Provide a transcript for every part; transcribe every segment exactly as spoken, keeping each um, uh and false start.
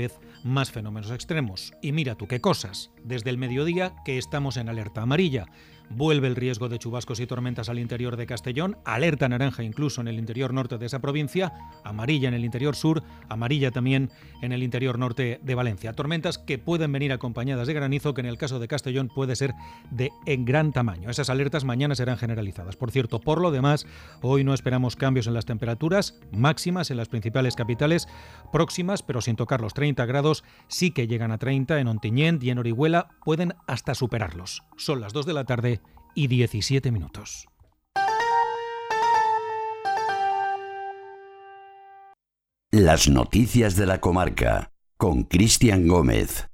vez más fenómenos extremos. Y mira tú qué cosas. Desde el mediodía que estamos en alerta amarilla. Vuelve el riesgo de chubascos y tormentas al interior de Castellón, alerta naranja incluso en el interior norte de esa provincia, amarilla en el interior sur, amarilla también en el interior norte de Valencia. Tormentas que pueden venir acompañadas de granizo, que en el caso de Castellón puede ser de en gran tamaño. Esas alertas mañana serán generalizadas. Por cierto, por lo demás, hoy no esperamos cambios en las temperaturas máximas en las principales capitales próximas, pero sin tocar los treinta grados, sí que llegan a treinta en Ontinyent y en Orihuela, pueden hasta superarlos. Son las dos de la tarde y diecisiete minutos. Las noticias de la comarca con Cristian Gómez.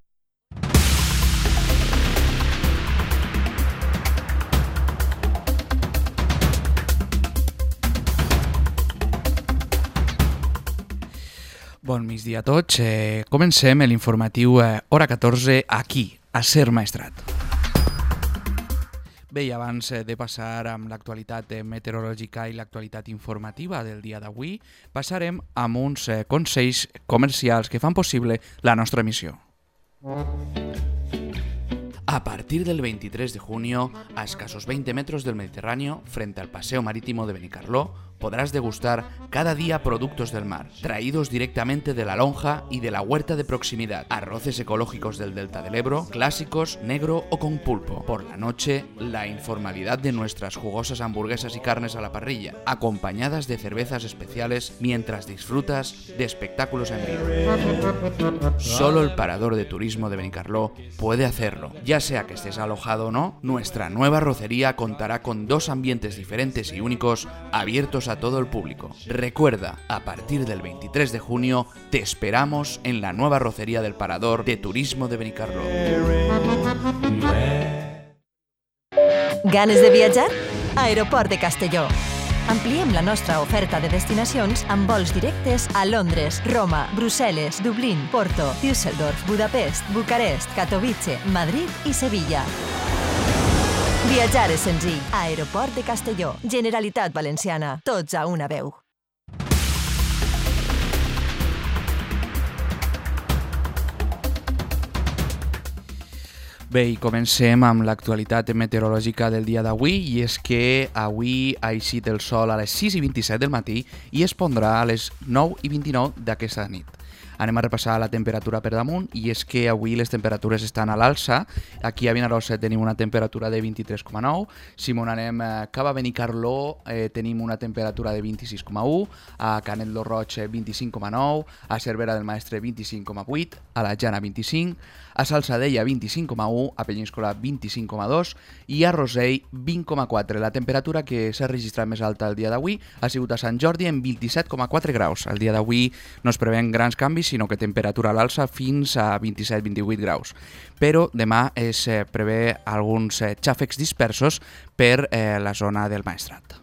Bon migdia a tots. Eh, comencem l'informatiu eh, hora catorze aquí, a Ser Maestrat. Bé, i abans de passar amb l'actualitat meteorològica i l'actualitat informativa del dia d'avui, passarem amb uns consells comercials que fan possible la nostra emissió. A partir del veintitrés de junio, a escasos veinte metros del Mediterráneo, frente al Paseo Marítimo de Benicarló, podrás degustar cada día productos del mar, traídos directamente de la lonja y de la huerta de proximidad. Arroces ecológicos del Delta del Ebro, clásicos, negro o con pulpo. Por la noche, la informalidad de nuestras jugosas hamburguesas y carnes a la parrilla, acompañadas de cervezas especiales mientras disfrutas de espectáculos en vivo. Solo el Parador de Turismo de Benicarló puede hacerlo. Ya sea que estés alojado o no, nuestra nueva arrocería contará con dos ambientes diferentes y únicos, abiertos a todo el público. Recuerda, a partir del veintitrés de junio te esperamos en la nueva arrocería del Parador de Turismo de Benicarló. Ganes de viatjar? Aeroport de Castelló. Ampliem la nostra oferta de destinacions amb vols directes a Londres, Roma, Brussel·les, Dublín, Porto, Düsseldorf, Budapest, Bucarest, Katowice, Madrid i Sevilla. Viatjar és senzill. Aeroport de Castelló. Generalitat Valenciana. Tots a una veu. Bé, i comencem amb l'actualitat meteorològica del dia d'avui, i és que avui ha eixit el sol a les sis i vint-i-set del matí i es pondrà a les nou i vint-i-nou d'aquesta nit. Anem a repassar la temperatura per damunt, i és que avui les temperatures estan a l'alça. Aquí a Vinaròs tenim una temperatura de vint-i-tres coma nou, si m'on anem cap a Benicarló eh, tenim una temperatura de vint-i-sis coma u, a Canet lo Roig vint-i-cinc coma nou, a Cervera del Maestre vint-i-cinc coma vuit, a la Jana vint-i-cinc, a Salsadella vint-i-cinc coma u, a Penyíscola vint-i-cinc coma dos i a Rosell vint coma quatre. La temperatura que s'ha registrat més alta el dia d'avui ha sigut a Sant Jordi en vint-i-set coma quatre graus. El dia d'avui no es preveuen grans canvis, sinó que temperatura a l'alça fins a vint-i-set a vint-i-vuit graus. Però demà es prevé alguns xàfecs dispersos per eh, la zona del Maestrat.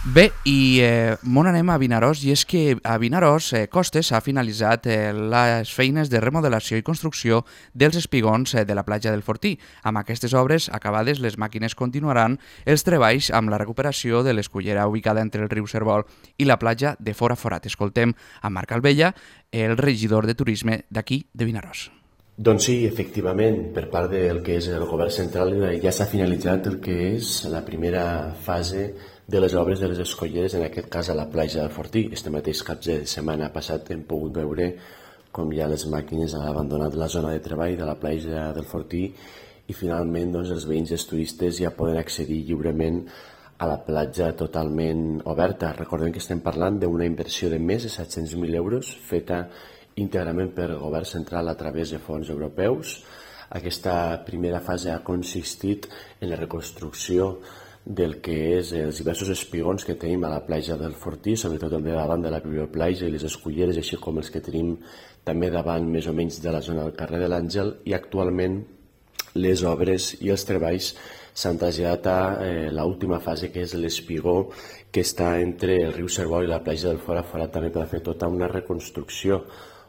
Bé, i eh, m'on anem a Vinaròs, i és que a Vinaròs eh, Costes ha finalitzat eh, les feines de remodelació i construcció dels espigons eh, de la platja del Fortí. Amb aquestes obres acabades, les màquines continuaran els treballs amb la recuperació de l'escullera ubicada entre el riu Cervol i la platja de Fora Forat. Escoltem a Marc Albella, el regidor de turisme d'aquí de Vinaròs. Doncs sí, efectivament, per part del que és el govern central ja s'ha finalitzat el que és la primera fase de les obres de les escolleres, en aquest cas a la platja del Fortí. Este mateix cap de setmana passat hem pogut veure com ja les màquines han abandonat la zona de treball de la platja del Fortí i finalment doncs, els veïns i els turistes ja poden accedir lliurement a la platja totalment oberta. Recordem que estem parlant d'una inversió de més de set-cents mil euros feta íntegrament per el govern central a través de fons europeus. Aquesta primera fase ha consistit en la reconstrucció del que és els diversos espigons que tenim a la platja del Fortí, sobretot el de davant de la biblioplatja i les esculleres, així com els que tenim també davant més o menys de la zona del carrer de l'Àngel, i actualment les obres i els treballs s'han traslladat a eh, l'última fase, que és l'espigó que està entre el riu Cervol i la platja del Fora Forat, també per fer tota una reconstrucció,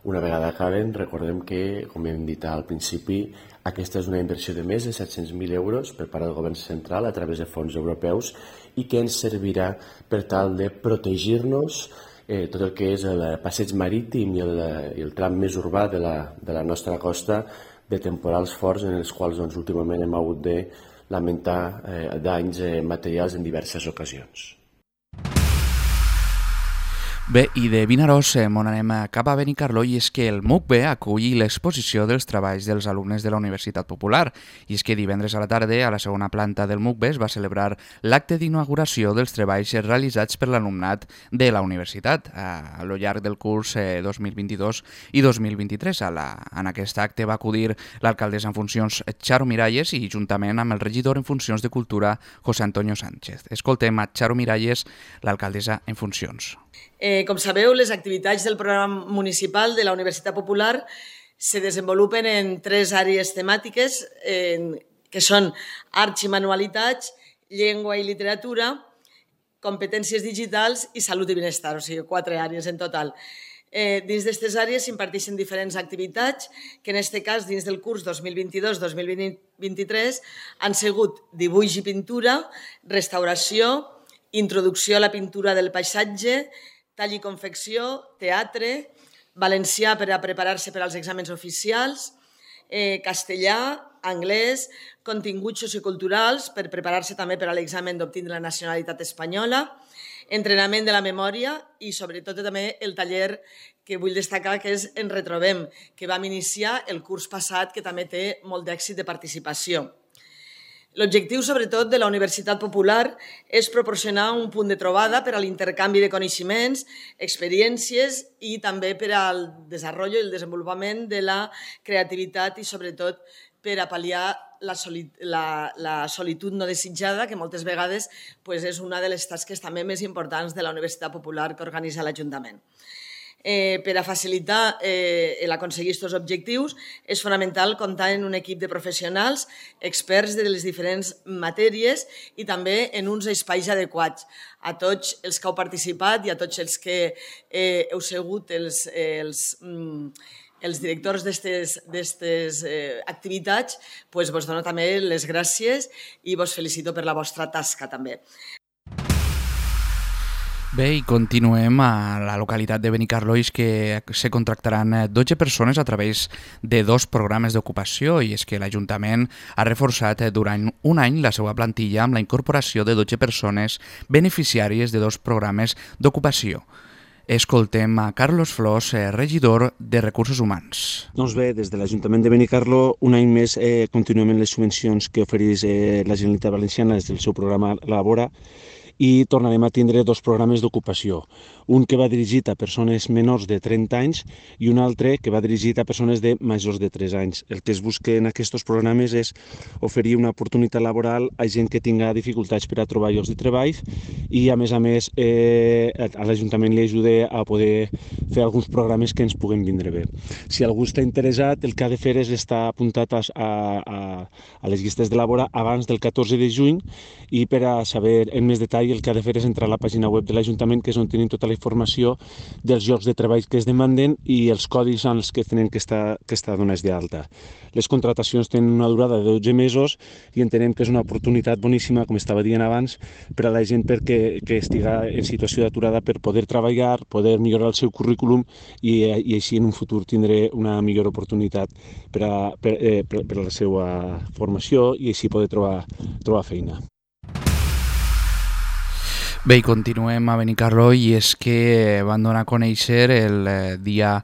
Una vegada acaben, recordem que, com hem dit al principi, aquesta és una inversió de més de set-cents mil euros per part del govern central a través de fons europeus i que ens servirà per tal de protegir-nos eh, tot el que és el passeig marítim i el, i el tram més urbà de la, de la nostra costa de temporals forts en els quals doncs, últimament hem hagut de lamentar eh, danys eh, materials en diverses ocasions. Bé, i de Vinaròs eh, m'on anem cap a Benicarló, i és que el M U C B acull l'exposició dels treballs dels alumnes de la Universitat Popular. I és que divendres a la tarda, a la segona planta del M U C B, es va celebrar l'acte d'inauguració dels treballs realitzats per l'alumnat de la universitat a, a lo llarg del curs eh, dos mil vint-i-dos i dos mil vint-i-tres. A la, en aquest acte va acudir l'alcaldessa en funcions Charo Miralles i juntament amb el regidor en funcions de Cultura, José Antonio Sánchez. Escoltem a Charo Miralles, l'alcaldessa en funcions. Eh, com sabeu, les activitats del programa municipal de la Universitat Popular se desenvolupen en tres àrees temàtiques, eh, que són arts i manualitats, llengua i literatura, competències digitals i salut i benestar, o sigui, quatre àrees en total. Eh, dins d'aquestes àrees s'imparteixen diferents activitats que en aquest cas, dins del curs dos mil vint-i-dos dos mil vint-i-tres, han sigut dibuix i pintura, restauració, introducció a la pintura del paisatge, tall i confecció, teatre, valencià per a preparar-se per als exàmens oficials, eh, castellà, anglès, continguts socioculturals per preparar-se també per a l'examen d'obtindre la nacionalitat espanyola, entrenament de la memòria i sobretot també el taller que vull destacar que és En Retrobem, que vam iniciar el curs passat, que també té molt d'èxit de participació. L'objectiu, sobretot, de la Universitat Popular és proporcionar un punt de trobada per a l'intercanvi de coneixements, experiències i també per al desenvolupament i el desenvolupament de la creativitat i, sobretot, per a pal·liar la, soli la, la solitud no desitjada, que moltes vegades pues, és una de les tasques també més importants de la Universitat Popular que organitza l'Ajuntament. Eh, per a facilitar eh, l'aconseguir aquests objectius és fonamental comptar en un equip de professionals experts de les diferents matèries i també en uns espais adequats. A tots els que heu participat i a tots els que eh, heu sigut els, els, mm, els directors d'aquestes eh, activitats, pues, vos dono també les gràcies i vos felicito per la vostra tasca també. Bé, i continuem a la localitat de Benicarló, i és que se contractaran dotze persones a través de dos programes d'ocupació, i és que l'Ajuntament ha reforçat durant un any la seva plantilla amb la incorporació de dotze persones beneficiàries de dos programes d'ocupació. Escoltem a Carlos Flors, regidor de Recursos Humans. Doncs bé, des de l'Ajuntament de Benicarló, un any més eh, continuem amb les subvencions que ofereix eh, la Generalitat Valenciana des del seu programa Labora, i tornarem a tindre dos programes d'ocupació, un que va dirigit a persones menors de trenta anys i un altre que va dirigit a persones de majors de tres anys. El que es busca en aquests programes és oferir una oportunitat laboral a gent que tinga dificultats per a trobar llocs de treball i, a més a més, eh, a l'Ajuntament li ajuda a poder fer alguns programes que ens puguen vindre bé. Si algú està interessat, el que ha de fer és estar apuntat a, a, a les llistes de Labora abans del catorze de juny, i per a saber en més detall el que ha de fer és entrar a la pàgina web de l'Ajuntament, que és on tenim tota la informació dels llocs de treball que es demanden i els codis en els que tenen que estar, que estar donats d'alta. Les contratacions tenen una durada de dotze mesos i entenem que és una oportunitat boníssima, com estava dient abans, per a la gent perquè, que estiga en situació d'aturada per poder treballar, poder millorar el seu currículum i, i així en un futur tindré una millor oportunitat per a, per, eh, per, per a la seva formació i així poder trobar, trobar feina. Bé, i continuem a Benicarló, i és que van donar a conèixer el eh, dia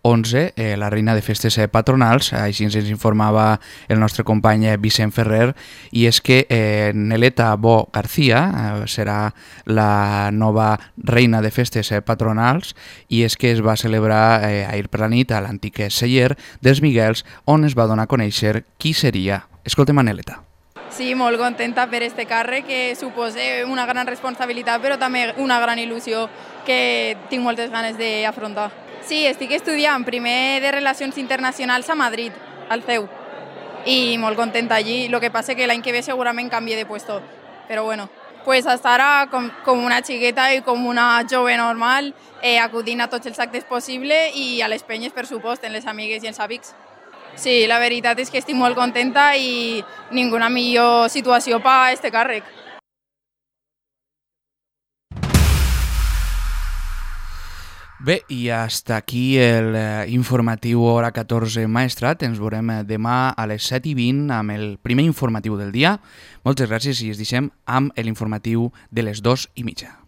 onze eh, la reina de festes eh, patronals, així ens informava el nostre company eh, Vicent Ferrer, i és que eh, Neleta Bo García eh, serà la nova reina de festes eh, patronals, i és que es va celebrar eh, ahir per la nit a l'antic celler dels Miguels, on es va donar a conèixer qui seria. Escoltem a Neleta. Sí, molt contenta per este càrrec, que suposa una gran responsabilitat, però també una gran il·lusió que tinc moltes ganes d'afrontar. Sí, estic estudiant primer de Relacions Internacionals a Madrid, al C E U, i molt contenta allí. El que passa és que l'any que ve segurament canvie de puesto, però bueno, pues estar com, com una xiqueta i com una jove normal, eh, acudint a tots els actes possibles i a les penyes, per supost, en les amigues i els amics. Sí, la veritat és que estic molt contenta i ninguna millor situació per a este càrrec. Bé, i hasta aquí el eh, informatiu Hora catorze Maestrat. Ens veurem demà a les set i vint amb el primer informatiu del dia. Moltes gràcies i ens deixem amb l'informatiu de les dos i mitja.